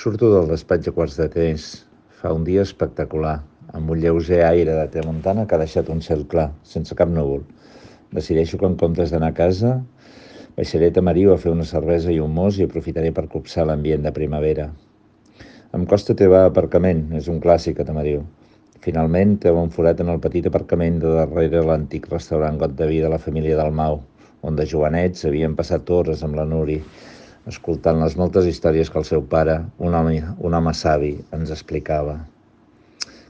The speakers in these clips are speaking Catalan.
Surto del despatx a quarts de tres. Fa un dia espectacular, amb un lleuger aire de tramuntana que ha deixat un cel clar, sense cap núvol. Decideixo que en comptes d'anar a casa, baixaré a Tamariu a fer una cervesa i un mos i aprofitaré per copsar l'ambient de primavera. Em costa trobar aparcament, és un clàssic a Tamariu. Finalment, trobo un forat en el petit aparcament de darrere l'antic restaurant Got de Vi de la família Dalmau, on de jovenets havien passat hores amb la Nuri, escoltant les moltes històries que el seu pare, un home savi, ens explicava.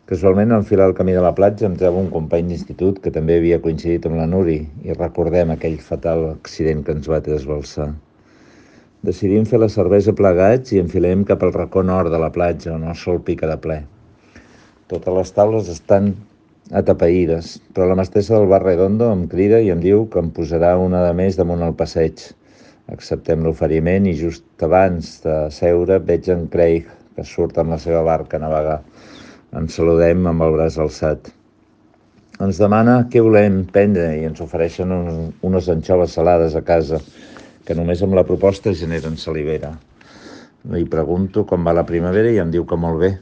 Casualment, al filar el camí de la platja em trobo un company d'institut que també havia coincidit amb la Nuri i recordem aquell fatal accident que ens va trasbalsar. Decidim fer la cervesa plegats i enfilem cap al racó nord de la platja, on el sol pica de ple. Totes les taules estan atapeïdes, però la mestressa del bar Redondo em crida i em diu que em posarà una de més damunt el passeig. Acceptem l'oferiment i just abans de seure veig en Craig, que surt amb la seva barca a navegar. Ens saludem amb el braç alçat. Ens demana què volem prendre i ens ofereixen unes anxoves salades a casa, que només amb la proposta generen salivera. Li pregunto com va la primavera i em diu que molt bé,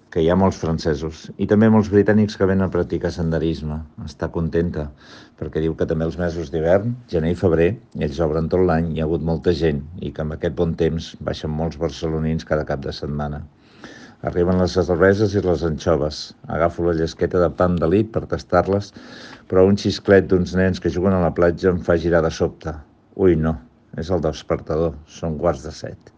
que hi ha molts francesos i també molts britànics que venen a practicar senderisme. Està contenta, perquè diu que també els mesos d'hivern, gener i febrer, ells obren tot l'any, hi ha hagut molta gent i que amb aquest bon temps baixen molts barcelonins cada cap de setmana. Arriben les cerveses i les anxoves. Agafo la llesqueta de pa amb delit per tastar-les, però un xisclet d'uns nens que juguen a la platja em fa girar de sobte. Ui, no, és el despertador, són 6:15.